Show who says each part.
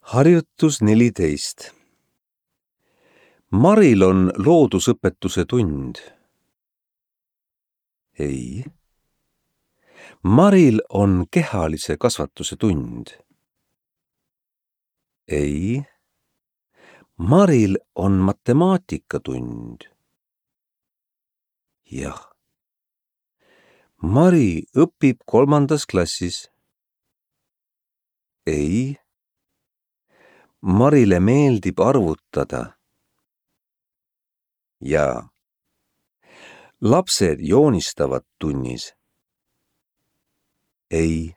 Speaker 1: Harjutus 14. Maril on loodusõpetuse tund. Ei. Maril on kehalise kasvatuse tund. Ei. Maril on matemaatikatund. Jah. Mari õpib 3. klassis. Ei. Marile meeldib arvutada. Jaa. Lapsed joonistavad tunnis. Ei.